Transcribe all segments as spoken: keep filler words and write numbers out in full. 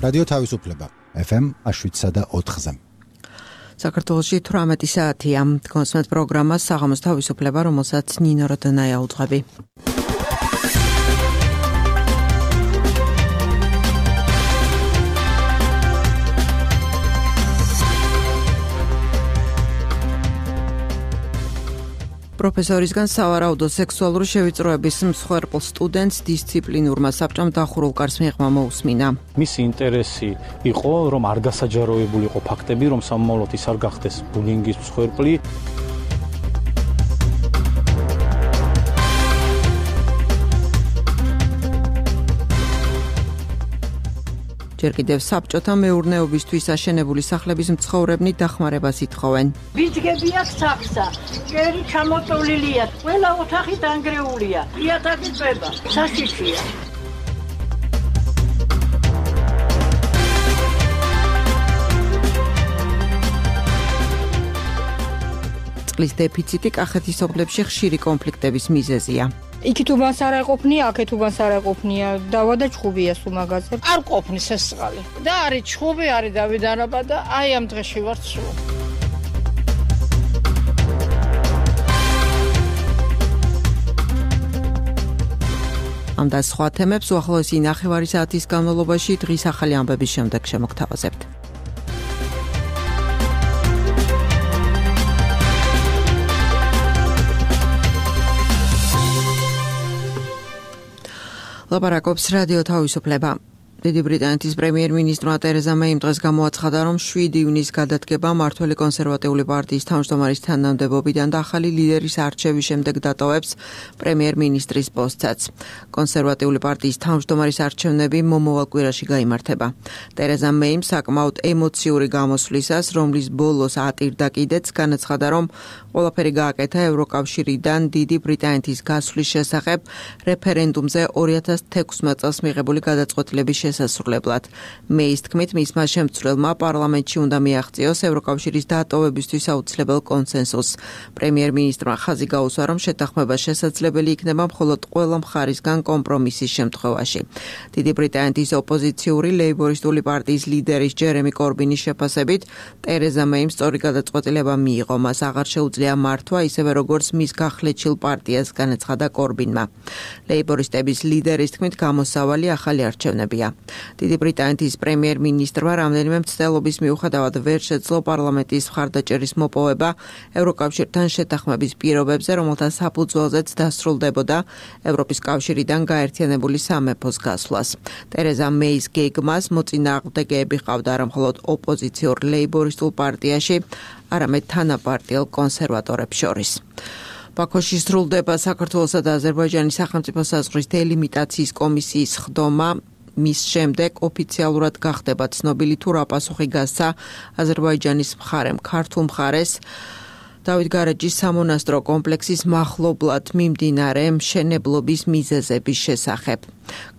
რადიო თავისუფლება ეფ ემ შვიდსა და ოთხზე. საქართველოში თვრამეტი საათია. გონსმენთ პროგრამას საღამოს თავისუფლება, რომელსაც ნინო როდონაია უძღვები. პროფესორისგან სავარაუდო სექსუალური შევიწროების მსხვერპლ სტუდენტს დისციპლინურმა საბჭომ დახურულ კარს მიღმა მოусმინა. მისი ინტერესი იყო, რომ არ გასაჯაროებულიყო ფაქტები, რომ სამომავლოდ ის არ გახდეს ბულინგის მსხვერპლი. ჯერ კიდევ საბჭოთა მეურნეობისთვის აშენებული სახლების მცხოვრებნი დახმარებას ითხოვენ. ბიძგები აქვს საქსა, კერი ჩამოწოლილია, ყველა ოთახი დანგრეულია, იატაკი წვება, საშიშია. წყლის დეფიციტი კახეთის ოფლებში ხშირი კონფლიქტების მიზეზია. იქით უბანს არ ეყოფნია, აქეთ უბანს არ ეყოფნია, დავა და ჩხუბია სულ მაგაზე. არ ყოფნის ეს წყალი. და არის ჩხუბი, არის დავიდანობა და აი ამ დღეში ვარ სულ. ამ და სხვა თემებს უახლოესი ნახევარი საათის განმავლობაში დღის ახალი ამბების შემდეგ შემოგთავაზებთ. ლაპარაკობს რადიო თავისუფლება. დიდი ბრიტანეთის პრემიერ-მინისტრმა ტერეზა მეიმ დღეს გამოაცხადა, რომ შვიდი ივნის გადადგება მმართველი კონსერვატიული პარტიის თავმჯდომარის თანამდებობიდან და ახალი ლიდერის არჩევის შემდეგ დატოვებს პრემიერ-მინისტრის პოსტსაც. კონსერვატიული პარტიის თავმჯდომარის არჩევნები მომავალ კვირაში გაიმართება. ტერეზა მეიმ საკმაოდ ემოციური გამოსვლისას, რომლის ბოლოს ატირდა კიდეც, განაცხადა, რომ ყველაფერი გააკეთა ევროკავშირიდან დიდი ბრიტანეთის გასვლის შესახებ რეფერენდუმზე ორი ათას თექვსმეტ წელს მიღებული გადაწყვეტილების შესასრულებლად. მეის თქმით, მისმა შემცვლელმა პარლამენტში უნდა მიაღწიოს ევროკავშირის დატოვებისთვის აუცილებელ კონსენსუსს. პრემიერ-მინისტრმა ხაზი გაუსვა, რომ შეთანხმება შესაძლებელი იქნება მხოლოდ ყველა მხარისგან კომპრომისის შემთხვევაში. დიდი ბრიტანეთის ოპოზიციური ლეიბორისტული პარტიის ლიდერის ჯერემი კორბინის შეფასებით, ტერეზა მეიმ სწორი გადაწყვეტილება მიიღო, მას აღარ შეუძლია მართვა, ისევე როგორც მის გახლეჩილ პარტიას, განაცხადა კორბინმა. ლეიბორისტების ლიდერის თქმით, გამოსავალი ახალი არჩევნებია. დიდი ბრიტანეთის პრემიერ-მინისტრმა რამდენიმე მცდელობის მიუხედავად ვერ შეძლო პარლამენტის მხარდაჭერის მოპოვება ევროკავშირთან შეთანხმების პირობებზე, რომელთა საფუძველზეც დასრულდებოდა ევროპის კავშირიდან გაერთიანებული სამეფოს გასვლას. ტერეზა მეის გეგმას მოწინააღმდეგეები ყავდა არა მხოლოდ ოპოზიციურ ლეიბორისტულ პარტიაში, არამედ თანაპარტიელ კონსერვატორებს შორის. ბაქოში სრულდება საქართველოსა და აზერბაიჯანის სახელმწიფო საზღვრის დელიმიტაციის კომისიის ხდომა. მის შემდეგ ოფიციალურად გახდება ცნობილი თუ რა პასუხი გასცა აზერბაიჯანის მხარემ ქართულ მხარეს დავით გარეჯის სამონასტრო კომპლექსის მახლობლად მიმდინარე მშენებლობის მიზეზების შესახებ.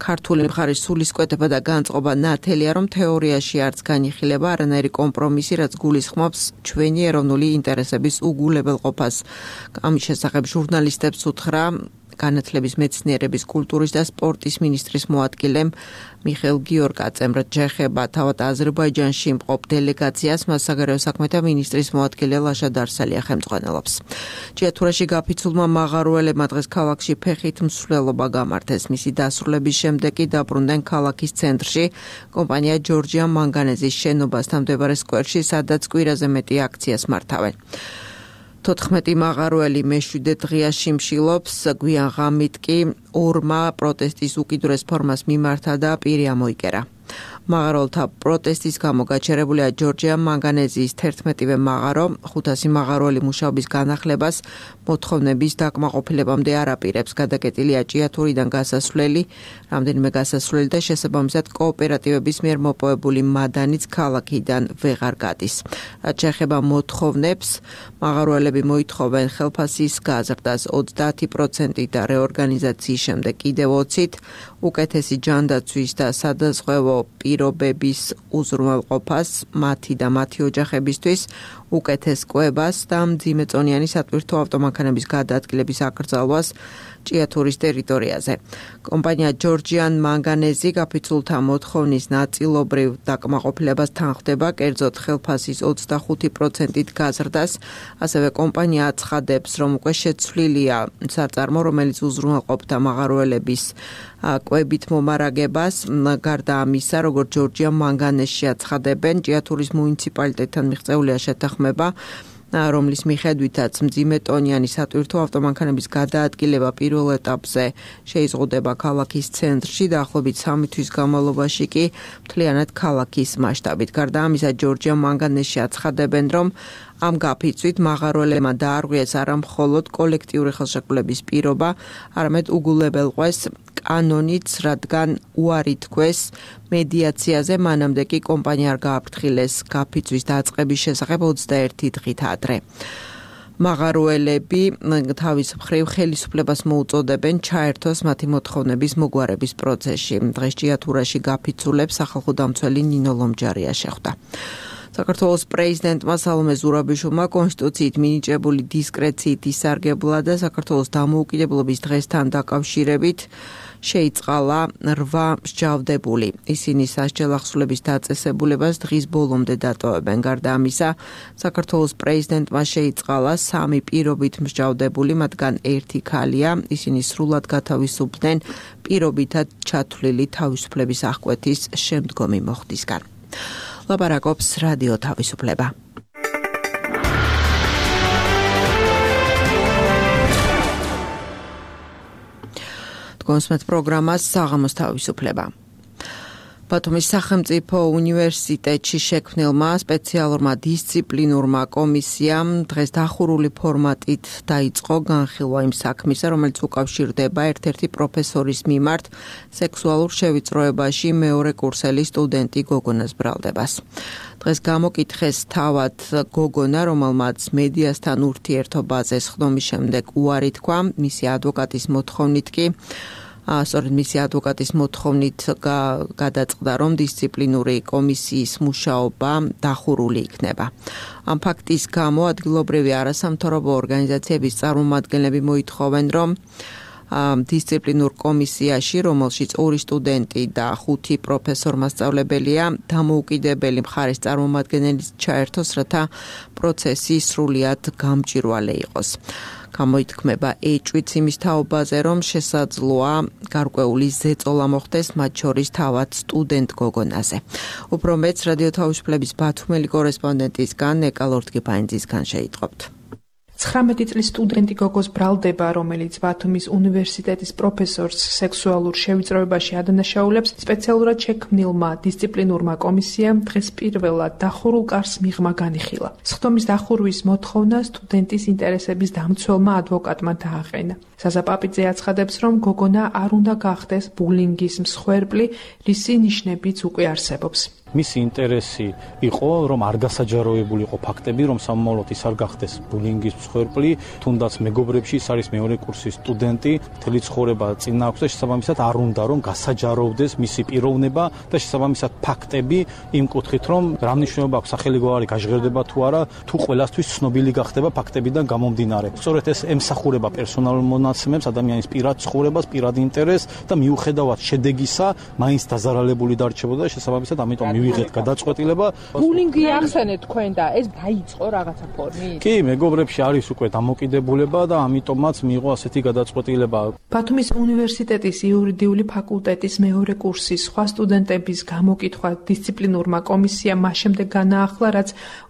ქართული მხარის სულისკვეთება და განწყობა ნათელია, რომ თეორიაში არც განიხილება არანაირი კომპრომისი, რაც გულისხმობს ჩვენი ეროვნული ინტერესების უგულებელყოფას. ამის შესახებ ჟურნალისტებს უთხრა განათლების, მეცნიერების, კულტურის და სპორტის მინისტრის მოადგილემ მიხეილ გიორგაძემ. ჯეხება თავად აზერბაიჯანში მყოფ დელეგაციას მას საგარეო საქმეთა მინისტრის მოადგილე ლაშა დარსალია ხელმძღვანელობს. ჭიათურაში გაფიცულმა მაღაროელებმა დღეს ქალაქში ფეხით მსვლელობა გამართეს. მისი დასრულების შემდეგ კი დაბრუნდნენ ქალაქის ცენტრში, კომპანია ჯორჯია მანგანეზის შენობასთან მდებარე სკვერში, სადაც კვირაზე მეტი აქციას მართავენ. თოთხმეტი მაღაროელი მეშვიდე დღეა შიმშილობს, გვიან ღამით კი ორმა პროტესტის უკიდურეს ფორმას მიმართა და პირი ამოიკერა. მაღაროელთა პროტესტის გამო გაჩერებულია ჯორჯია მანგანეზიის თერთმეტივე მაღარო, ხუთასი მაღაროელი მუშაობის განახლებას მოთხოვნების დაკმაყოფილებამდე არ აპირებს. გადაკეტილია ჭიათურიდან გასასვლელი, რამდენიმე გასასვლელი და შესაბამისად კოოპერატივების მიერ მოპოვებული მადანიც ქალაქიდან ვეღარ გადის. რაც შეეხება მოთხოვნებს, მაღაროელები მოითხოვენ ხელფასის გაზრდას ოცდაათი პროცენტით და რეორგანიზაციის შემდეგ კიდევ ოცით, უკეთესი ჯანდაცვის და სადაზღვევო პირ პირობების უზრუნველყოფას მათი და მათი ოჯახებისთვის უკეთეს კვებას და მძიმეწონიანი სატვირთო ავტომანქანების გადაადგილების აკრძალვას ჭიათურის ტერიტორიაზე. კომპანია ჯორჯიან მანგანეზი გაფიცულთა მოთხოვნის ნაწილობრივ დაკმაყოფილებას თანხმდება, კერძოდ ხელფასის ოცდახუთი პროცენტით გაზრდას. ასევე კომპანია აცხადებს, რომ უკვე შეცვლილია საწარმო, რომელიც უზრუნველყოფდა მაღაროელების კვებით მომარაგებას. გარდა ამისა, როგორც ჯორჯიან მანგანეზში აცხადებენ, ჭიათურის მუნიციპალიტეტთან მიღწეულია შეთანხმება, რომლის მიხედვითაც მძიმეტონიანი სატვირთო ავტომანქანების გადაადგილება პირველ ეტაპზე შეიზღუდება ქალაქის ცენტრში, დაახლოებით სამი თვის განმავლობაში კი მთლიანად ქალაქის მასშტაბით. გარდა ამისა, ჯორჯიან მანგანეზში აცხადებენ, რომ ამ გაფიცვით მაღაროელებმა დაარღვიეს არა მხოლოდ კოლექტიური ხელშეკრულების პირობა, არამედ უგულებელყვეს კანონიც, რადგან უარი თქვეს მედიაციაზე, მანამდე კი კომპანია არ გააფრთხილეს გაფიცვის დაწყების შესახებ ოცდაერთი დღით ადრე. მაღაროელები თავის მხრივ ხელისუფლებას მოუწოდებენ ჩაერთოს მათი მოთხოვნების მოგვარების პროცესში. დღეს ჭიათურაში გაფიცულებს სახალხო დამცველი ნინო ლომჯარია შეხვდა. საქართველოს პრეზიდენტმა სალომე ზურაბიშვილმა კონსტიტუციით მინიჭებული დისკრეციით ისარგებლა და საქართველოს დამოუკიდებლობის დღესთან დაკავშირებით შეიწყალა რვა მსჯავრდებული. ისინი სასჯელ ახსულების დაწესებულებას დღის ბოლომდე დატოვებენ. გარდა ამისა, საქართველოს პრეზიდენტმა შეიწყალა სამი პირობით მსჯავრდებული, მათგან ერთი ქალია. ისინი სრულად გათავისუფლდნენ პირობითად ჩათვლილი თავისუფლების აღკვეთის შემდგომი მოხდისგან. ლაპარაკობს რადიო თავისუფლება. კონსმეთ პროგრამას საღამოს თავისუფლება. ბათუმის სახელმწიფო უნივერსიტეტში შექმნილმა სპეციალურმა დისციპლინურმა კომისიამ დღეს დახურული ფორმატით დაიწყო განხილვა იმ საქმისა, რომელიც უკავშირდება ერთ-ერთი პროფესორის მიმართ სექსუალურ შევიწროებაში მეორე კურსელი სტუდენტი გოგონას ბრალდებას. დღეს გამოკითხეს თავად გოგონა, რომელმაც მედიასთან ურთიერთობაზე სხდომის შემდეგ უარი თქვა, მისი ადვოკატის მოთხოვნით კი სწორედ მისი ადვოკატის მოთხოვნით გადაწყდა, რომ დისციპლინური კომისიის მუშაობა დახურული იქნება. ამ ფაქტის გამო ადგილობრივი არასამთავრობო ორგანიზაციების წარმომადგენლები მოითხოვენ, რომ დისციპლინურ კომისიაში, რომელშიც ორი სტუდენტი და ხუთი პროფესორ-მასწავლებელია, დამოუკიდებელი მხარის წარმომადგენელი ჩაერთოს, რათა პროცესი სრულიად გამჭვირვალე იყოს. გამოითქმება ეჭვიც იმის თაობაზე, რომ შესაძლოა გარკვეული ზეწოლა მოხდეს მათ შორის თავად სტუდენტ გოგონაზე. უფრო მეც რადიო თავისუფლების ბათუმელი კორესპონდენტისგან ნეკა ლორდგიფაინძისგან შეიტყობთ. ცხრამეტი წლის სტუდენტი გოგოს ბრალდება, რომელიც ბათუმის უნივერსიტეტის პროფესორს სექსუალურ შევიწროებაში ადანაშაულებს, სპეციალურად შექმნილმა დისციპლინურმა კომისიამ დღეს პირველად დახურულ კარს მიღმა განიხილა. სხდომის დახურვის მოთხოვნა სტუდენტის ინტერესების დამცველმა ადვოკატმა დააყენა. საზაპაპიძე აცხადებს, რომ გოგონა არ უნდა გახდეს ბულინგის მსხვერპლი, რისი ნიშნებიც უკვე არსებობს. მისი ინტერესი იყო, რომ არ გასაჯაროებული იყო ფაქტები, რომ სამომავლოდ ის არ გახდეს ბულინგის მსხვერპლი, თუნდაც მეგობრებში ის არის მეორე კურსის სტუდენტი, მთელი ცხოვრება წინ აქვს და შესაბამისად არ უნდა რომ გასაჯაროვდეს მისი პიროვნება და შესაბამისად ფაქტები იმ კუთხით, რომ რა მნიშვნელობა აქვს სახელი გვარი გაჟღერდება თუ არა, თუ ყველასთვის ცნობილი გახდება ფაქტებიდან გამომდინარე. სწორედ ეს ემსახურება პერსონალურ მონაცემებს, ადამიანის პირად ცხოვრებას, პირად ინტერესს და მიუხედავად შედეგისა, მაინც დაზარალებული დარჩებოდა და შესაბამისად ამიტომ მივიღეთ გადაწყვეტილება. ბულინგი ახსენეთ თქვენ და ეს დაიწყო რაღაცა ფორმით? კი, მეგობრებში არის უკვე დამოკიდებულება და ამიტომაც მიიღო ასეთი გადაწყვეტილება. ბათუმის უნივერსიტეტის იურიდიული ფაკულტეტის მეორე კურსის სხვა სტუდენტების გამოკითხვა დისციპლინურმა კომისიამ მას შემდეგ განაახლა, რაც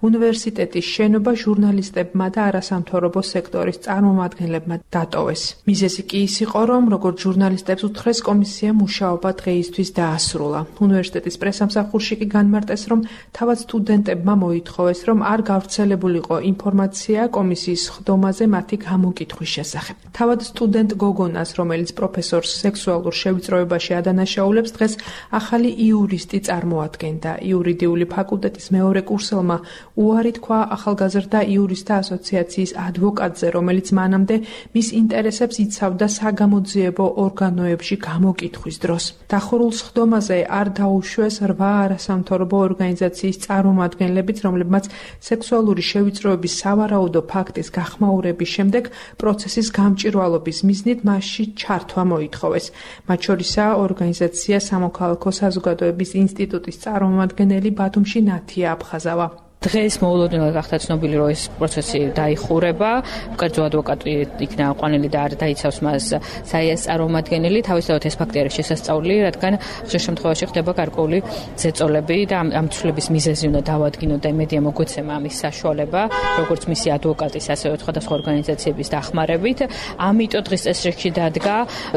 უნივერსიტეტის შენობა ჟურნალისტებმა და არასამთავრობო სექტორის წარმომადგენლებმა დატოვეს. მიზეზი კი ის იყო, რომ როგორც ჟურნალისტებს უთხრეს, კომისიამ მუშაობა დღეისთვის დაასრულა. უნივერსიტეტის პრესამსახურში კი განმარტეს, რომ თავად სტუდენტებმა მოითხოვეს, რომ არ გავრცელებულიყო ინფორმაცია კომისიის ხდომაზე მათი გამოკითხვის შესახებ. თავად სტუდენტ გოგონას, რომელიც პროფესორს სექსუალურ შევიწროებაში ადანაშაულებს, დღეს ახალი იურისტი წარმოადგენდა. იურიდიული ფაკულტეტის მეორე კურსელმა უარი თქვა ახალგაზრდა იურისტთა ასოციაციის ადვოკატზე, რომელიც მანამდე მის ინტერესებს იცავდა საგამოძიებო ორგანოებში გამოკითხვის დროს. დახურულ სხდომაზე არ დაუშვეს რვა არასამთავრობო ორგანიზაციის წარმომადგენლებიც, რომლებმაც სექსუალური შევიწროების სავარაუდო ფაქტის გახმაურების შემდეგ პროცესის გამჭვირვალობის მიზნით მასში ჩართვა მოითხოვეს. მათ შორისაა ორგანიზაცია სამოქალაქო საზოგადოების ინსტიტუტის წარმომადგენელი ბათუმში ნათია აფხაზავა. დღეს მოულოდნელად გახდა ცნობილი, რომ ეს პროცესი დაიხურება. კერძო ადვოკატი იქნა ყვანილი და არ დაიცავს მას საიას წარმომადგენელი. თავისთავად ეს ფაქტი არის შესასწავლი, რადგან ხშირ შემთხვევაში ხდება გარკვეული ზეწოლები და ამ, ამ ცვლილების მიზეზი უნდა დავადგინოთ და იმედია მოგვეცემა ამის საშუალება, როგორც მისი ადვოკატის, ასევე სხვადასხვა ორგანიზაციების დახმარებით. ამიტომ დღეს წესრიგში დადგა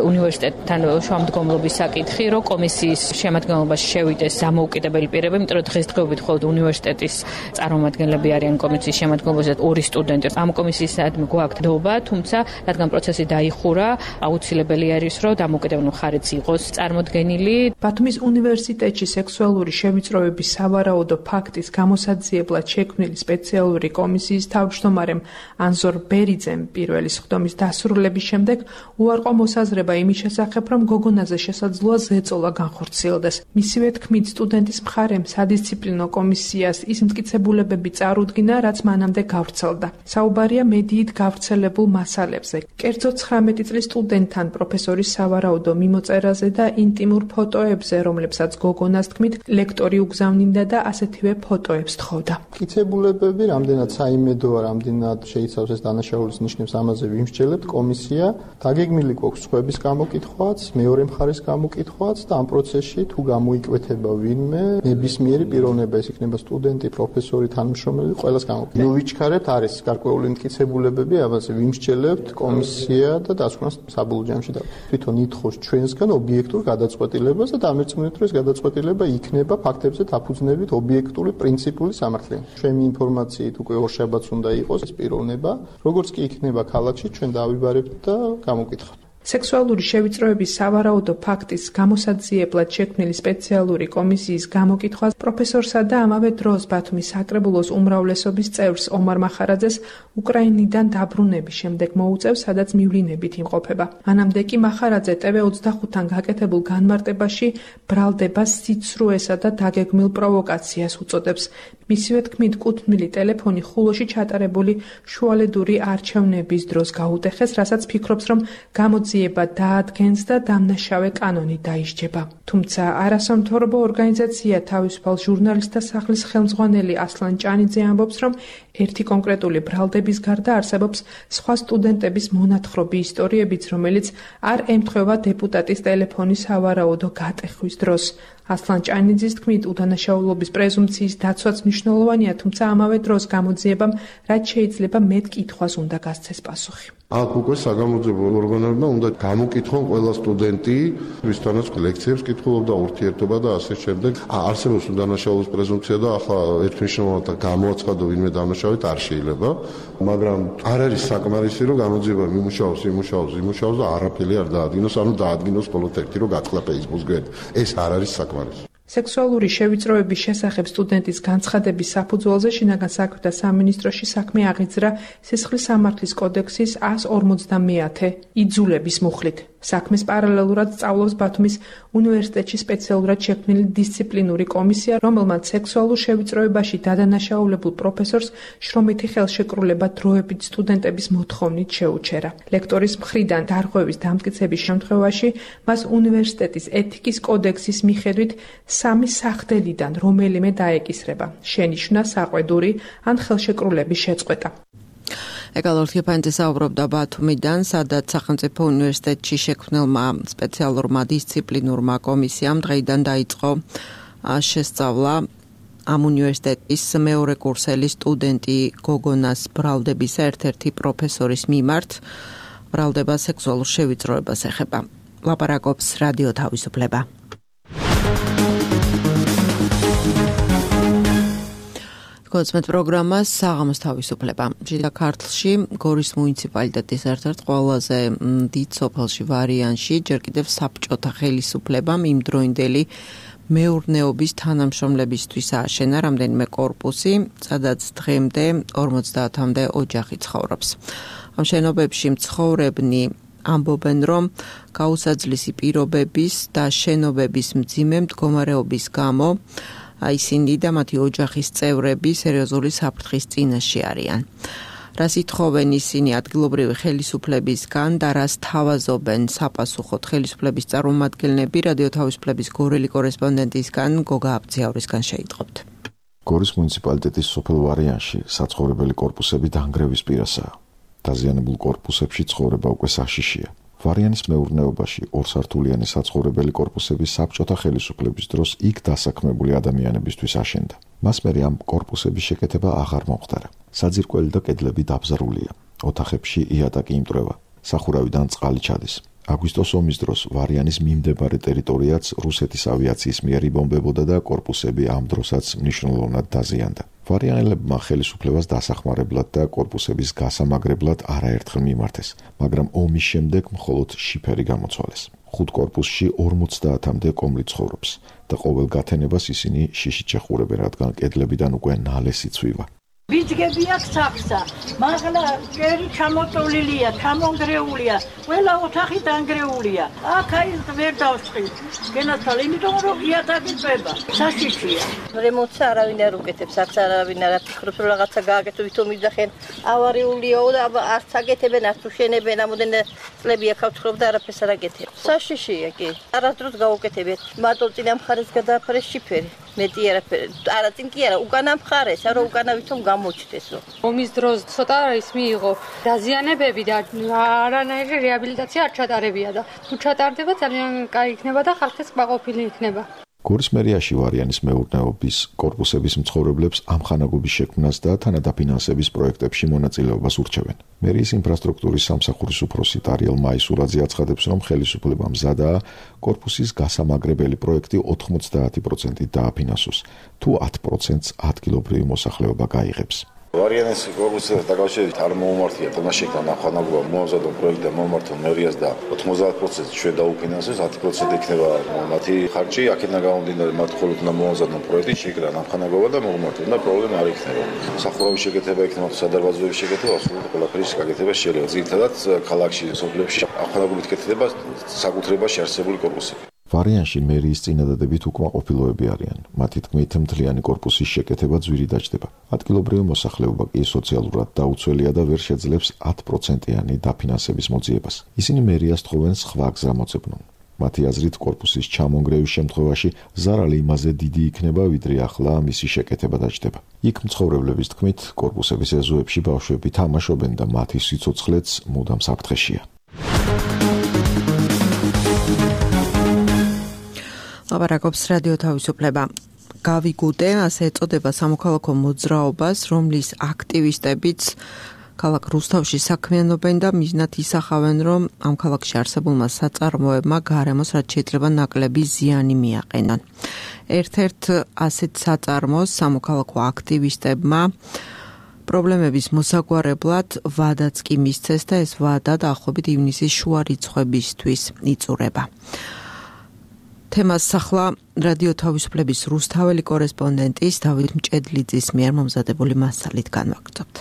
უნივერსიტეტთან შუამდგომლობის საკითხი, რომ კომისიის შემადგენლობაში შევიდეს დამოუკიდებელი პირები, იმიტომ რომ დღესდღეობით მხოლოდ უნივერსიტეტის წარმომადგენლები არიან კომისიის შემადგენლობაში ორი სტუდენტი. ამ კომისიისადმი გვაქვს დობა, თუმცა რადგან პროცესი დაიხურა, აუცილებელი არის, რომ დამოუკიდებელი მხარეც იყოს წარმოდგენილი. ბათუმის უნივერსიტეტში სექსუალური შევიწროების სავარაუდო ფაქტის გამოსაძიებლად შექმნილი სპეციალური კომისიის თავმჯდომარემ ანზორ ბერიძემ პირველი სხდომის დასრულების შემდეგ უარყო მოსაზრება იმის შესახებ, რომ გოგონაზე შესაძლოა ზეწოლა განხორციელდეს. მისივე თქმით, სტუდენტის მხარემ სადისციპლინო კომისიას ის მტკიცებულებები წარუდგინა, რაც მანამდე გავრცელდა. საუბარია მედიით გავრცელებულ მასალებზე. კერძო ცხრამეტი წლის სტუდენტთან პროფესორის სავარაუდო მიმოწერაზე და ინტიმურ ფოტოებზე, რომლებსაც გოგონას თქმით, ლექტორი უგზავნინდა და ასეთივე ფოტოებს თხოვდა. მტკიცებულებები, რამდენად საიმედოა, რამდენად შეიცავს ეს დანაშაულის ნიშნებს, ამაზე ვიმსჯელებთ. კომისია დაგეგმილი გვაქვს სხვების გამოკითხვაც, მეორე მხარის გამოკითხვაც და ამ პროცესში თუ გამოიკვეთება ვინმე, ნებისმიერი პიროვნება, ეს იქნება სტუდენტი, პროფესორი, თანამშრომელი, ყველას გამოვიდა. ნუ ვიჩქარებთ, არის გარკვეული მტკიცებულებები, ამაზე ვიმსჯელებთ, კომისია და დასკვნას საბოლოო ჯამში და თვითონ ითხოვს ჩვენსგან ობიექტურ გადაწყვეტილებას და დამერწმუნეთ, რომ ეს გადაწყვეტილება იქნება ფაქტებზე დაფუძნებით ობიექტური პრინციპული სამართლიანი. ჩვენი ინფორმაციით უკვე ორშაბათს უნდა იყოს ეს პიროვნება, როგორც კი იქნება ქალაქში, ჩვენ დავიბარებთ და გამოვკითხავთ. სექსუალური შევიწროების სავარაუდო ფაქტის გამოსაძიებლად შექმნილი სპეციალური კომისიის გამოკითხვას პროფესორსა და ამავე დროს ბათუმის საკრებულოს უმრავლესობის წევრს ომარ მახარაძეს უკრაინიდან დაბრუნების შემდეგ მოუწევს, სადაც მივლინებით იმყოფება. მანამდე კი მახარაძე ტე ვე ოცდახუთთან გაკეთებულ განმარტებაში ბრალდება სიცრუესა და დაგეგმილ პროვოკაციას უწოდებს. მისივე თქმით, კუთვნილი ტელეფონი ხულოში ჩატარებული შუალედური არჩევნების დროს გაუტეხეს, რასაც ფიქრობს, რომ გამოძიება დაადგენს და დამნაშავე კანონი დაისჯება. თუმცა არასამთავრობო ორგანიზაცია თავისუფალ ჟურნალისტთა სახლის ხელმძღვანელი ასლან ჭანიძე ამბობს, რომ ერთი კონკრეტული ბრალდების გარდა არსებობს სხვა სტუდენტების მონათხრობი ისტორიებიც, რომელიც არ ემთხვევა დეპუტატის ტელეფონის სავარაუდო გატეხვის დროს. ასლან ჭანიძის თქმით, უდანაშაულობის პრეზუმპციის დაცვაც მნიშვნელოვანია, თუმცა ამავე დროს გამოძიებამ რაც შეიძლება მეტ კითხვას უნდა გასცეს პასუხი. აქ უკვე საგამოძიებო ორგანოებმა უნდა გამოკითხონ ყველა სტუდენტი, ვისთანაც ლექციებს კითხულობდა, ურთიერთობა და ასე შემდეგ. არსებობს უდანაშაულობის პრეზუმპცია და ახლა ერთმნიშვნელოვნად გამოაცხადო ვინმე დანაშაულით არ შეიძლება, მაგრამ არ არის საკმარისი, რომ გამოძიება იმუშაოს, იმუშაოს, იმუშაოს და არაფერი არ დაადგინოს, ანუ დაადგინოს მხოლოდ ერთი, რომ გათქლა Facebook-ს გვერდ. ეს არ არის საკმარისი. სექსუალური შევიწროების შესახებ სტუდენტის განცხადების საფუძველზე შინაგან საქმეთა სამინისტროში საქმე აღიძრა სისხლის სამართლის კოდექსის ას ორმოცდამეათე იძულების მუხლით. საქმეს პარალელურად სწავლობს ბათუმის უნივერსიტეტში სპეციალურად შექმნილი დისციპლინური კომისია, რომელმაც სექსუალურ შევიწროებაში დადანაშაულებულ პროფესორს შრომითი ხელშეკრულება დროებით სტუდენტების მოთხოვნით შეუჩერა. ლექტორის მხრიდან დარღვევის დამტკიცების შემთხვევაში მას უნივერსიტეტის ეთიკის კოდექსის მიხედვით სამი სახდელიდან რომელიმე დაეკისრება: შენიშვნა, საყვედური ან ხელშეკრულების შეწყვეტა. ეკალორთი ფანტე საუბრობდა ბათუმიდან, სადაც სახელმწიფო უნივერსიტეტში შექმნილმა სპეციალურმა დისციპლინურმა კომისიამ დღეიდან დაიწყო შესწავლა ამ უნივერსიტეტის მეორე კურსელი სტუდენტი გოგონას ბრალდების ერთ-ერთი პროფესორის მიმართ. ბრალდება სექსუალურ შევიწროებას ეხება. ლაპარაკობს რადიო თავისუფლება. გოცმეთ პროგრამას საღამოს თავისუფლება. შიდა ქართლში გორის მუნიციპალიტეტის ერთ-ერთ ყველაზე დიდ სოფელში ვარიანში ჯერ კიდევ საბჭოთა ხელისუფლებამ იმდროინდელი მეურნეობის თანამშრომლებისთვის ააშენა რამდენიმე კორპუსი, სადაც დღემდე ორმოცდაათამდე ოჯახი ცხოვრობს. ამ შენობებში მცხოვრებნი ამბობენ, რომ გაუსაძლისი პირობების და შენობების მძიმე მდგომარეობის გამო ისინი და მათი ოჯახის წევრები სერიოზული საფრთხის წინაშე არიან. რას ითხოვენ ისინი ადგილობრივი ხელისუფლებისგან და რას თავაზობენ საპასუხოდ ხელისუფლების წარმომადგენლები, რადიო თავისუფლების გორელი კორესპონდენტისგან გოგა აბძიავრისგან შეიტყობთ. გორის მუნიციპალიტეტის სოფელ ვარიანში საცხოვრებელი კორპუსები დანგრევის პირასაა. დაზიანებულ კორპუსებში ცხოვრება უკვე საშიშია. ვარიანის მეურნეობაში ორსართულიანი საცხოვრებელი კორპუსები საბჭოთა ხელისუფლების დროს იქ დასაქმებული ადამიანებისთვის აშენდა. მას მერე ამ კორპუსების შეკეთება აღარ მომხდარა. საძირკველი და კედლები დაბზარულია. ოთახებში იატაკი იმტვრევა. სახურავიდან წყალი ჩადის. აგვისტოს ომის დროს ვარიანის მიმდებარე ტერიტორიაც რუსეთის ავიაციის მიერ იბომბებოდა და კორპუსები ამ დროსაც მნიშვნელოვნად დაზიანდა. ვარიანელებმა ხელისუფლებას დასახმარებლად და კორპუსების გასამაგრებლად არაერთხელ მიმართეს, მაგრამ ომის შემდეგ მხოლოდ შიფერი გამოცვალეს. ხუთ კორპუსში ორმოცდაათამდე კომლი ცხოვრობს და ყოველ გათენებას ისინი შიშით შეխურებენ, რადგან კედლებიდან უკვე ნალესი ცვივა. ბიძგები აქვს სახსა, მაღლა ჯერი ჩამოტოლილია, ჩამონგრეულია, ყველა ოთახი დანგრეულია. აქ აი ვერ დავსხი. გენაცვალ, იმიტომ რომ იატაკი წვება, საშიშია. რემონტს არავინ არ უკეთებს, აქ არავინ არ ფიქრობს, რომ რაღაცა გააკეთო, ვითომ იძახენ, ავარიულია და არც აგეთებენ, არც უშენებენ, ამოდენ წლები აქ ვცხოვრობ და არაფერს არ აკეთებ. საშიშია კი. არასდროს გაუკეთებიათ. მარტო წინა მხარეს გადააფარეს შიფერი. მეტი არაფერი. არა წინ კი არა, უკანა მხარეს, არა უკანა ვითომ გამოჩნდესო. ომის დროს ცოტა ის მიიღო დაზიანებები და არანაირი რეაბილიტაცია არ ჩატარებია და თუ ჩატარდება ძალიან კაი იქნება და ხალხის კმაყოფილი იქნება. გორის მერიაში ვარიანის მეურნეობის კორპუსების მცხოვრებლებს ამხანაგობის შექმნას და თანადაფინანსების პროექტებში მონაწილეობას ურჩევენ. მერიის ინფრასტრუქტურის სამსახურის უფროსი ტარიელ მაისურაძე აცხადებს, რომ ხელისუფლება მზადაა კორპუსის გასამაგრებელი პროექტი ოთხმოცდაათი პროცენტით დააფინანსოს, თუ ათი პროცენტს ადგილობრივი მოსახლეობა გაიღებს. ვარიანის კორპუსთან დაკავშირებით არ მოუმართია თამაშებთან ამხანაგობა მოამზადო პროექტი და მომართო მერიას და ოთხმოცდაათი პროცენტი ჩვენ დაუფინანსოს, ათი პროცენტი იქნება მათი ხარჯი, აქედან გამომდინარე მათ მხოლოდ უნდა მოამზადონ პროექტი, შეიკრან ამხანაგობა და მოუმართონ და პრობლემა არ იქნება. სახურავის შეკეთება იქნება, სადარბაზოების შეკეთება, ასურით ყველაფრის გაკეთება შეიძლება. ძირითადად ქალაქში, სოფლებში ამხანაგობით კეთდება საკუთრებაში არსებული კორპუსები. ვარიანში მერიის წინადადებით უკმაყოფილოები არიან. მათი თქმით, მთლიანი კორპუსის შეკეთება ძვირი დაჯდება. ადგილობრივი მოსახლეობა კი სოციალურად დაუცველია და ვერ შეძლებს ათი პროცენტიანი დაფინანსების მოძიებას. ისინი მერიას თხოვენ სხვა გზა მოძებნონ. მათი აზრით, კორპუსის ჩამონგრევის შემთხვევაში ზარალი იმაზე დიდი იქნება, ვიდრე ახლა მისი შეკეთება დაჯდება. იქ მცხოვრებლების თქმით, კორპუსების ეზოებში ბავშვები თამაშობენ და მათი სიცოცხლეც მუდამ საფრთხეშია. ლაპარაკობს რადიო თავისუფლება. გავიგუდე, ასე ეწოდება სამოქალაქო მოძრაობას, რომლის აქტივისტებიც ქალაქ რუსთავში საქმიანობენ და მიზნად ისახავენ, რომ ამ ქალაქში არსებულმა საწარმოებმა გარემოს რაც შეიძლება ნაკლები ზიანი მიაყენონ. ერთ-ერთ ასეთ საწარმოს სამოქალაქო აქტივისტებმა პრობლემების მოსაგვარებლად ვადაც კი მისცეს და ეს ვადა დაახლოებით ივნისის შუა რიცხვებისთვის იწურება. თემას ახლა რადიო თავისუფლების რუსთაველი კორესპონდენტის დავით მჭედლიძის მიერ მომზადებული მასალით განვაგრძობთ.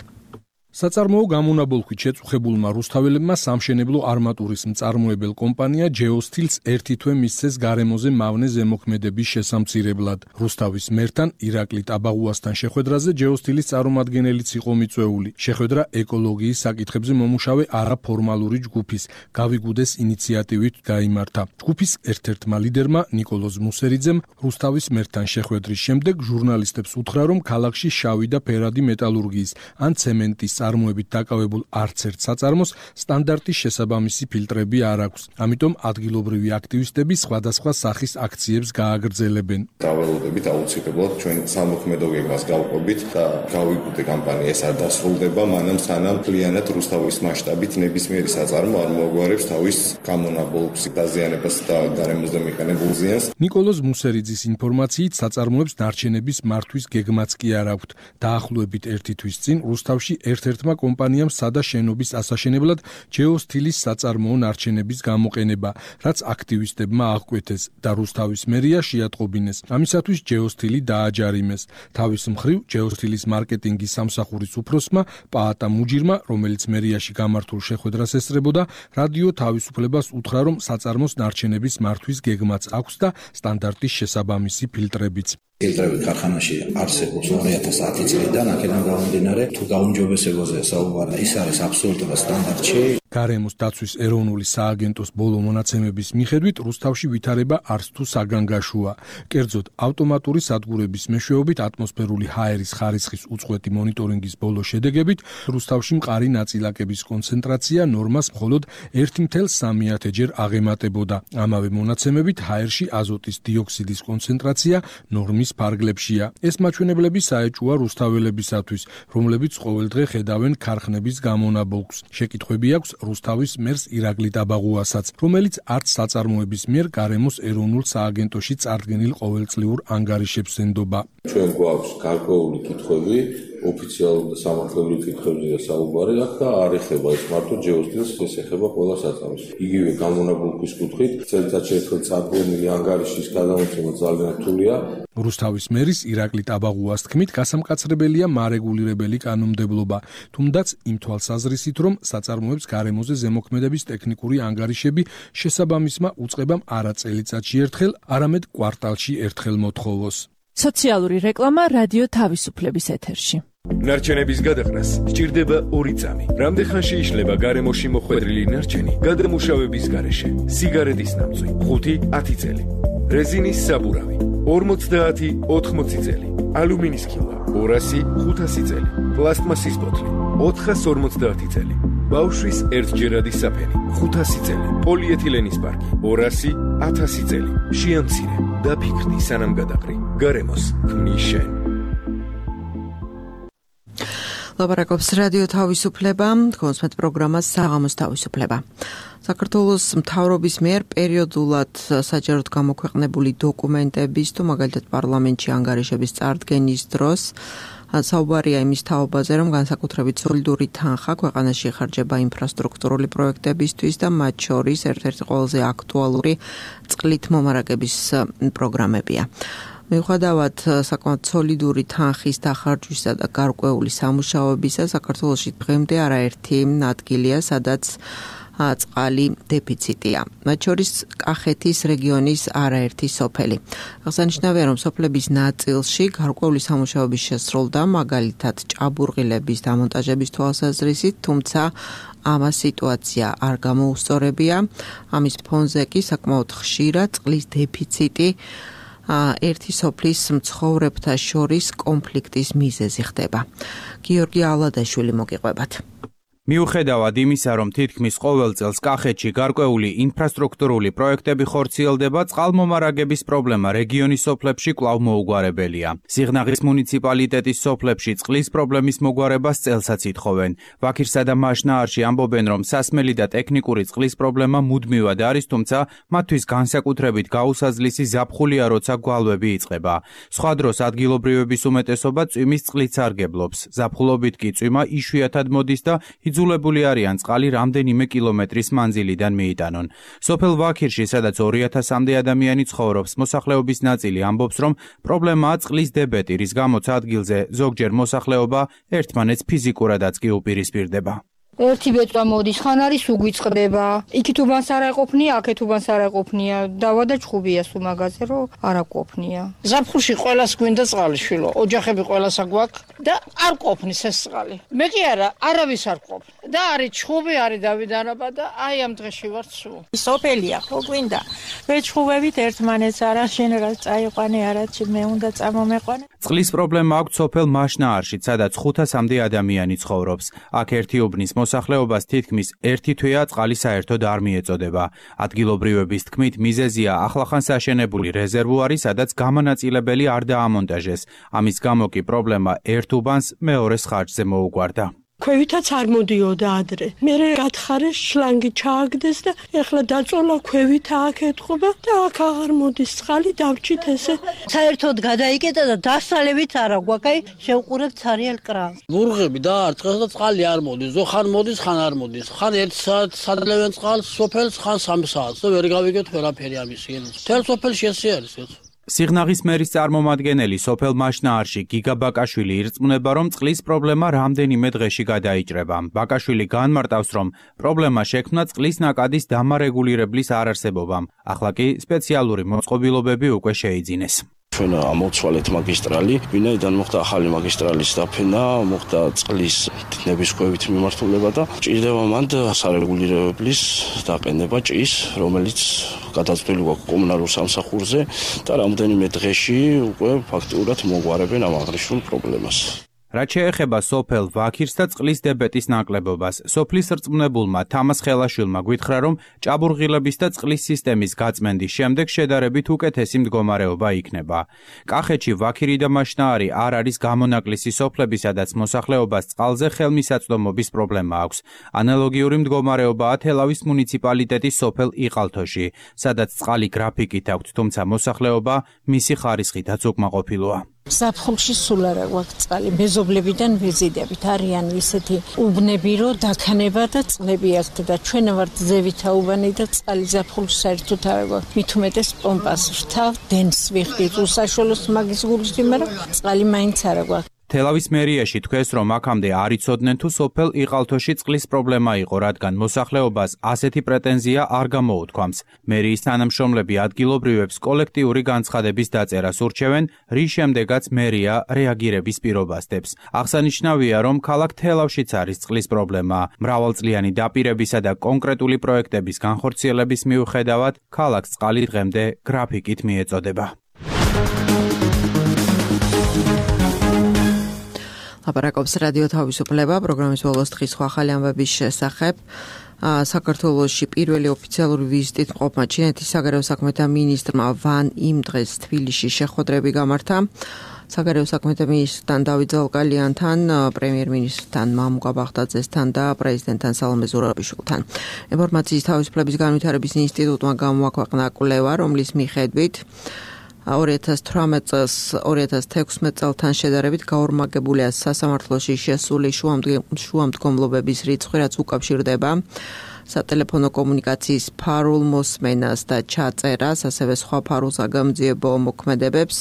საწარმოო გამონაბოლქვით შეწუხებულმა რუსთაველებმა სამშენებლო არმატურის მწარმოებელ კომპანია ჯეოსტილს ერთი თვე მისცეს გარემოზე მავნე ზემოქმედების შესამცირებლად. რუსთავის მერთან ირაკლი ტაბაღუასთან შეხვედრაზე ჯეოსტილის წარმომადგენელიც იყო მიწვეული. შეხვედრა ეკოლოგიის საკითხებზე მომუშავე არაფორმალური ჯგუფის გავიგუდეს ინიციატივით გაიმართა. ჯგუფის ერთ-ერთმა ლიდერმა ნიკოლოზ მუსერიძემ რუსთავის მერთან შეხვედრის შემდეგ ჟურნალისტებს უთხრა, რომ ქალაქში შავი და ფერადი მეტალურგიის ან ცემენტის წარმოებით დაკავებულ არც ერთ საწარმოს სტანდარტის შესაბამისი ფილტრები არ აქვს. ამიტომ ადგილობრივი აქტივისტები სხვადასხვა სახის აქციებს გააგრძელებენ. დავალოდებით აუცილებლად ჩვენ სამოქმედო გეგმას გავყვებით და გავიგდე კამპანია ეს არ დასრულდება, მანამ სანამ მთლიანად რუსთავის მასშტაბით ნებისმიერი საწარმო არ მოაგვარებს თავის გამონაბოლქვს, დაზიანებას და გარემოზე მიყენებულ ზიანს. ნიკოლოზ მუსერიძის ინფორმაციით საწარმოებს ნარჩენების მართვის გეგმაც კი არ აქვთ. დაახლოებით ერთი თვის წინ რუსთავში ერთ-ერთმა კომპანიამ სადა შენობის ასაშენებლად ჯეოსთილის საწარმოო ნარჩენების გამოყენება, რაც აქტივისტებმა აღკვეთეს და რუსთავის მერია შეატყობინეს. ამისათვის ჯეოსთილი დააჯარიმეს. თავის მხრივ ჯეოსთილის მარკეტინგის სამსახურის უფროსმა პაატა მუჯირმა, რომელიც მერიაში გამართულ შეხვედრას ესწრებოდა, რადიო თავისუფლებას უთხრა, რომ საწარმოს ნარჩენების მართვის გეგმაც აქვს და სტანდარტის შესაბამისი ფილტრებიც. ფილტრები ქარხანაში არსებობს ორი ათას ათი წლიდან, აქედან გამომდინარე, თუ გაუმჯობესებაზეა საუბარი, ის არის აბსოლუტურად სტანდარტში. გარემოს დაცვის ეროვნული სააგენტოს ბოლო მონაცემების მიხედვით რუსთავში ვითარება არც თუ საგანგაშოა. კერძოდ, ავტომატური სადგურების მეშვეობით ატმოსფერული ჰაერის ხარისხის უწყვეტი მონიტორინგის ბოლო შედეგებით რუსთავში მყარი ნაწილაკების კონცენტრაცია ნორმას მხოლოდ ერთი მცდე სამი ჯერ აღემატებოდა. ამავე მონაცემებით ჰაერში აზოტის დიოქსიდის კონცენტრაცია ნორმის ფარგლებშია. ეს მაჩვენებლები საეჭვოა რუსთაველებისათვის, რომლებიც ყოველდღე ხედავენ ქარხნების გამონაბოლქვს. შეკითხვები აქვს რუსთავის მერს ირაკლი ტაბაღუასაც, რომელიც არც საწარმოების მიერ გარემოს ეროვნულ სააგენტოში წარდგენილ ყოველწლიურ ანგარიშებს ენდობა. ჩვენ გვაქვს გარკვეული კითხვები, ოფიციალური და სამართლებრივი კითხვებია საუბარი აქ და არ ეხება ეს მარტო ჯეოსთილს, ეს ეხება ყველა საწარმოს. იგივე გამონაბოლქვის კუთხით წელიწადში ერთხელ წარდგენილი ანგარიშის გადამოცემა ძალიან რთულია. რუსთავის მერის ირაკლი ტაბაღუას თქმით, გასამკაცრებელია მარეგულირებელი კანონმდებლობა, თუმდაც იმ თვალსაზრისით, რომ საწარმოებს გარემოზე ზემოქმედების ტექნიკური ანგარიშები შესაბამისმა უწყებამ არა წელიწადში ერთხელ, არამედ კვარტალში ერთხელ მოთხოვოს. სოციალური რეკლამა რადიო თავისუფლების ეთერში. ნარჩენების გადაყრას სჭირდება ორი წამი. რამდენ ხანში იშლება გარემოში მოხვედრილი ნარჩენი გადამუშავების გარეშე? სიგარეტის ნამწვი ხუთი ათი წელი, რეზინის საბურავი ორმოცდაათი ოთხმოცი წელი, ალუმინის ქილვა ორასი ხუთასი წელი, პლასტმასის ბოთლი ოთხას ორმოცდაათი წელი, ბავშვის ერთჯერადი საფენი ხუთასი წელი, პოლიეთილენის პარკი ორასი ათასი წელი. შეამცირე, დაფიქრდი სანამ გადაყრი. გარემოს ქმნის შენ. ლაპარაკობს რადიო თავისუფლება, კონსმეთ პროგრამას საღამოს თავისუფლება. საქართველოს მთავრობის მიერ პერიოდულად საჯაროდ გამოქვეყნებული დოკუმენტების თუ მაგალითად პარლამენტში ანგარიშების წარდგენის დროს საუბარია იმის თაობაზე, რომ განსაკუთრებით სოლიდური თანხა ქვეყანაში იხარჯება ინფრასტრუქტურული პროექტებისთვის და მათ შორის ერთ-ერთი ყველაზე აქტუალური წყლით მომარაგების პროგრამებია. მიუხედავად საკმაოდ სოლიდური თანხის დახარჯვისა და გარკვეული სამუშაოებისა, საქართველოში დღემდე არაერთი ადგილია, სადაც წყალი დეფიციტია. მათ შორის კახეთის რეგიონის არაერთი სოფელი. აღსანიშნავია, რომ სოფლების ნაწილში გარკვეული სამუშაოების შესრულდა, მაგალითად ჭაბურღილების დამონტაჟების თვალსაზრისით, თუმცა ამას სიტუაცია არ გამოუსწორებია. ამის ფონზე კი საკმაოდ ხშირად წყლის დეფიციტი ერთი სოფლის მცხოვრებთა შორის კონფლიქტის მიზეზი ხდება. გიორგი ალადაშვილი მოგიყვებათ. მიუხედავად იმისა, რომ თითქმის ყოველ წელს კახეთში გარკვეული ინფრასტრუქტურული პროექტები ხორციელდება, წყალმომარაგების პრობლემა რეგიონის სოფლებში კვლავ მოუგვარებელია. სიღნაღის მუნიციპალიტეტის სოფლებში წყლის პრობლემის მოგვარებას წელსაც ითხოვენ. ვაქირსა და მაშნაარში ამბობენ, რომ სასმელი და ტექნიკური წყლის პრობლემა მუდმივად არის, თუმცა მათთვის განსაკუთრებით გაუსაზლისი ზაფხულია, როცა გვალვები იწყება. სხვა დროს ადგილობრივების უმეტესობა წვიმის წყლით სარგებლობს. ზაფხულობით კი წვიმა იშვიათად მოდის და იძულებული არიან წყალი რამდენიმე კილომეტრის მანძილიდან მიიტანონ. სოფელ ვაქირში, სადაც ორი ათასამდე ადამიანი ცხოვრობს, მოსახლეობის ნაწილი ამბობს, რომ პრობლემაა წყლის დებეტი, რის გამოც ადგილზე ზოგჯერ მოსახლეობა ერთმანეთს ფიზიკურადაც კი უპირისპირდება. ერთი ბეწვა მოდის, ხან არის უგვიწყდება. იქით უბანს არ აყოფნია, აქეთ უბანს არ აყოფნია. დავა და ჭხუბია სულ მაგაზე, რომ არ აყოფნია. ზაფხულში ყველას გვინდა წყალი, შვილო. ოჯახები ყველას აგვაქვს და არ ყოფნის ეს წყალი. მე კი არა, არავის არ ყოფ. და არის ჩხუბი, არის დავიდანობა და აი ამ დღეში ვარ სულ. სოფელია, ხო გვინდა. ვეჩხუბებით ერთმანეთს არა შენ რა წაიყვანე, არა მე უნდა წამომეყვანე. წყლის პრობლემა აქვს სოფელ მაშნაარში, სადაც ხუთასამდე ადამიანი ცხოვრობს. აქ ერთი უბნის მოსახლეობას თითქმის ერთი თვეა წყალი საერთოდ არ მიეწოდება. ადგილობრივების თქმით, მიზეზია ახლახანს აშენებული რეზერვუარი, სადაც გამონაწილებელი არ დაამონტაჟეს. ამის გამო კი პრობლემა ერთ უბანს მეორეს ხარჯზე მოუგვარდა. ქვევითაც არ მოდიოდა ადრე. მე გათხარეს შლანგი ჩააგდეს და ეხლა დაწოლა ქვევით აქ ეთყობა და აქ აღარ მოდის წყალი დავჭით ესე. საერთოდ გადაიკეტა და დასალევით არა გვაქვს, აი შევყურებთ ცარიელ კრანს. ვურღები დაარტყეს და წყალი არ მოდის. ზო ხან მოდის, ხან არ მოდის. ხან ერთ საათს სადლევენ წყალს სოფელს, ხან სამი საათს და ვერ გავიგებთ ვერაფერი ამის ენას. თელ სოფელში ესე არის ეს. სიღნაღის მერის წარმომადგენელი სოფელ მაშნაარში გიგა ბაკაშვილი ირწმუნება, რომ წყლის პრობლემა რამდენიმე დღეში გადაიჭრება. ბაკაშვილი განმარტავს, რომ პრობლემა შექმნა წყლის ნაკადის დამარეგულირებლის არარსებობამ. ახლა კი სპეციალური მოწყობილობები უკვე შეიძინეს. ჩვენ ამოვცვალეთ მაგისტრალი, ვინაიდან მოხდა ახალი მაგისტრალის დაფენა, მოხდა წყლის თითნების კვებით მიმართულება და ჭირდება მანდ სარეგულირებლის დაყენება ჭის, რომელიც გადაწყვეტილი გვაქვს კომუნალურ სამსახურზე და რამდენიმე დღეში უკვე ფაქტიურად მოგვარებენ ამ აღნიშნულ პრობლემას. რაც შეეხება სოფელ ვაქირს და წყლის დებეტის ნაკლებობას, სოფლის რწმუნებულმა თამას ხელაშვილმა გვითხრა, რომ ჭაბურღილების და წყლის სისტემის გაწმენდის შემდეგ შედარებით უკეთესი მდგომარეობა იქნება. კახეთში ვაქირი და მაშნაარი არ არის გამონაკლისი სოფლები, სადაც მოსახლეობას წყალზე ხელმისაწვდომობის პრობლემა აქვს. ანალოგიური მდგომარეობაა თელავის მუნიციპალიტეტის სოფელ იყალთოში, სადაც წყალი გრაფიკით აქვთ, თუმცა მოსახლეობა მისი ხარისხითაც უკმაყოფილოა. საფხულში სულ არა გვაქვს წყალი, მეზობლებიდან ვიზიდებით არიან ისეთი უბნები, რომ დაქნება და წყლები აქვთ და ჩვენ ვართ ზევითა უბანი და წყალი საფხულში საერთოდ არ გვაქვს. მით უმეტეს პომპას რთავ დენს ვიხდით უსაშველოს მაგის გულში, მაგრამ წყალი მაინც არა გვაქვს. თელავის მერიაში თქვეს, რომ აქამდე არ იცოდნენ თუ სოფელ იყალთოში წყლის პრობლემა იყო, რადგან მოსახლეობას ასეთი პრეტენზია არ გამოუთქვამს. მერიის თანამშრომლები ადგილობრივებს კოლექტიური განცხადების დაწერას ურჩევენ, რის შემდეგაც მერია რეაგირების პირობას დებს. აღსანიშნავია, რომ ქალაქ თელავშიც არის წყლის პრობლემა. მრავალწლიანი დაპირებისა და კონკრეტული პროექტების განხორციელების მიუხედავად, ქალაქს წყალი დღემდე გრაფიკით მიეწოდება. ლაპარაკობს რადიო თავისუფლება, პროგრამის ბოლოს დღის ახალი ამბების შესახებ. საქართველოში პირველი ოფიციალური ვიზიტით მყოფმა ჩინეთის საგარეო საქმეთა მინისტრმა ვან იმ დღეს თბილისში შეხვედრები გამართა. საგარეო საქმეთა მინისტრთან დავით ზალკალიანთან, პრემიერ-მინისტრთან მამუკა ბაღდაძესთან და პრეზიდენტთან სალომე ზურაბიშვილთან. ინფორმაციის თავისუფლების განვითარების ინსტიტუტმა გამოაქვეყნა კვლევა, რომლის მიხედვით ორი ათას თვრამეტ წელს ორი ათას თექვსმეტ წელთან შედარებით გაორმაგებულია სასამართლოში შესული შუამდგომლობების რიცხვი, რაც უკავშირდება სატელეფონო კომუნიკაციის ფარულ მოსმენას და ჩაწერას, ასევე სხვა ფარულ საგამოძიებო მოქმედებებს.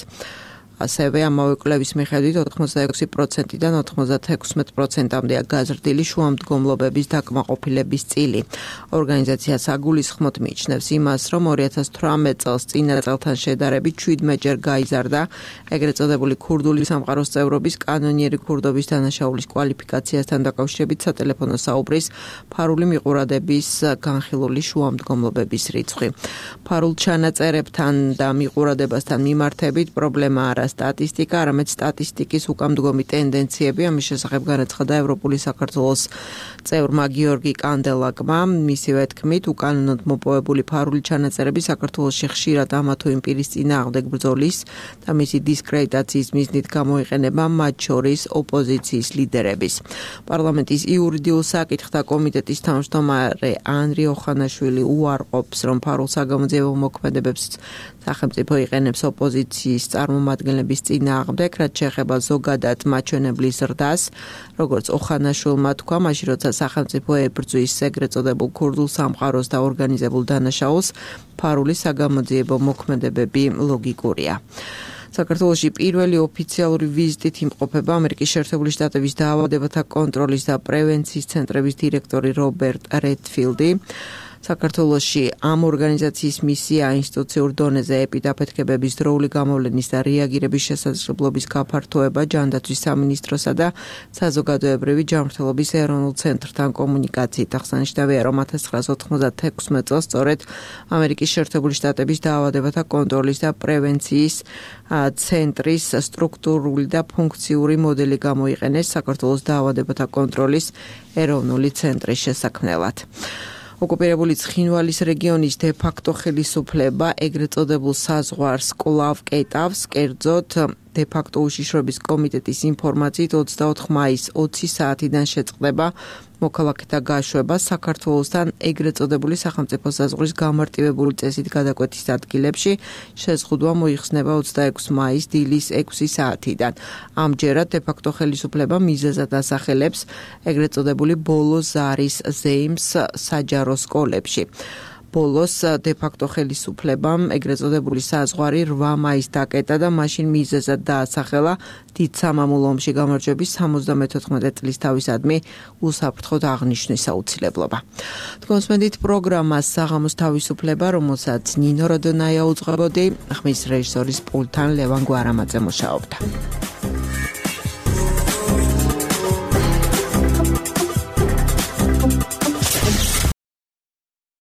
ასევე ამავე კვლევის მიხედვით ოთხმოცდაექვსი პროცენტიდან ოთხმოცდათექვსმეტ პროცენტამდეა გაზრდილი შუამდგომლობების დაკმაყოფილების წილი. ორგანიზაციას აგულისხმოთ მიიჩნევს იმას, რომ ორი ათას თვრამეტ წელს წინა წელთან შედარებით შვიდმეტჯერ გაიზარდა ეგრეთ წოდებული ქურდული სამყაროს წევრობის კანონიერი ქურდობის დანაშაულის კვალიფიკაციასთან დაკავშირებით სატელეფონო საუბრის ფარული მიყურადების განხილული შუამდგომლობების რიცხვი. ფარულ ჩანაწერებთან და მიყურადებასთან მიმართებით პრობლემა არა სტატისტიკა, არამედ სტატისტიკის უკამდგომი ტენდენციები. ამის შესახებ განაცხადა ევროპული საქართველოს წევრმა გიორგი კანდელაკმა. მისივე თქმით, უკანონოდ მოპოვებული ფარული ჩანაწერები საქართველოში ხშირად ამა თუ იმ პირის წინააღმდეგ ბრძოლის და მისი დისკრედიტაციის მიზნით გამოიყენება, მათ შორის ოპოზიციის ლიდერების. პარლამენტის იურიდიულ საკითხთა კომიტეტის თავმჯდომარე ანრი ოხანაშვილი უარყოფს, რომ ფარულ საგამოძიებო მოქმედებებს სახელმწიფო იყენებს ოპოზიციის წარმომადგენლების წინააღმდეგ, რაც შეეხება ზოგადად მაჩვენებლის ზრდას, როგორც ოხანაშვილმა თქვა, მაშინ როცა სახელმწიფო ებრძვის ეგრეთ წოდებულ ქურდულ სამყაროს და ორგანიზებულ დანაშაულს, ფარული საგამოძიებო მოქმედებები ლოგიკურია. საქართველოში პირველი ოფიციალური ვიზიტით იმყოფება ამერიკის შეერთებული შტატების დაავადებათა კონტროლის და პრევენციის ცენტრების დირექტორი რობერტ რედფილდი. საქართველოში ამ ორგანიზაციის მისია ინსტიტუციურ დონეზე ეპიდაფეთქებების დროული გამოვლენის და რეაგირების შესაძლებლობის გაფართოება ჯანდაცვის სამინისტროსა და საზოგადოებრივი ჯანმრთელობის ეროვნულ ცენტრთან კომუნიკაციით. აღსანიშნავია, რომ ათას ცხრაასი ოთხმოცდაექვსმეტ წელს სწორედ ამერიკის შეერთებული შტატების დაავადებათა კონტროლის და პრევენციის ცენტრის სტრუქტურული და ფუნქციური მოდელი გამოიყენეს საქართველოს დაავადებათა კონტროლის ეროვნული ცენტრის შესაქმნელად. ოკუპირებული ცხინვალის რეგიონის დე-ფაქტო ხელისუფლება ეგრეთ წოდებულ საზღვარს კვლავ კეტავს, კერძოდ დე-ფაქტო უშიშროების კომიტეტის ინფორმაციით ოცდაოთხ მაისს ოცი საათიდან შეწყდება მოქალაქეთა გაშვება საქართველოსთან ეგრეთ წოდებული სახელმწიფო საზღვრის გამარტივებული წესით გადაკვეთის ადგილებში. შეზღუდვა მოიხსნება ოცდაექვსი მაისს დილის ექვსი საათიდან. ამჯერად დე-ფაქტო ხელისუფლება მიზეზად ასახელებს ეგრეთ წოდებული ბოლო ზარის ზეიმს საჯარო სკოლებში. ბოლოს დე-ფაქტო ხელისუფლებამ ეგრეთ წოდებული საზღვარი რვა მაისს დაკეტა და მაშინ მიზეზად დაასახელა დიდ სამამულო ომში გამარჯვების სამოცდამეთოთხმეტე წლის თავისადმი უსაფრთხოდ აღნიშვნის აუცილებლობა. თქვენსმენდით პროგრამას საღამოს თავისუფლება, რომელსაც ნინო როდონაია უძღვებოდი, ხმის რეჟისორის პულტთან ლევან გვარამაძე მუშაობდა.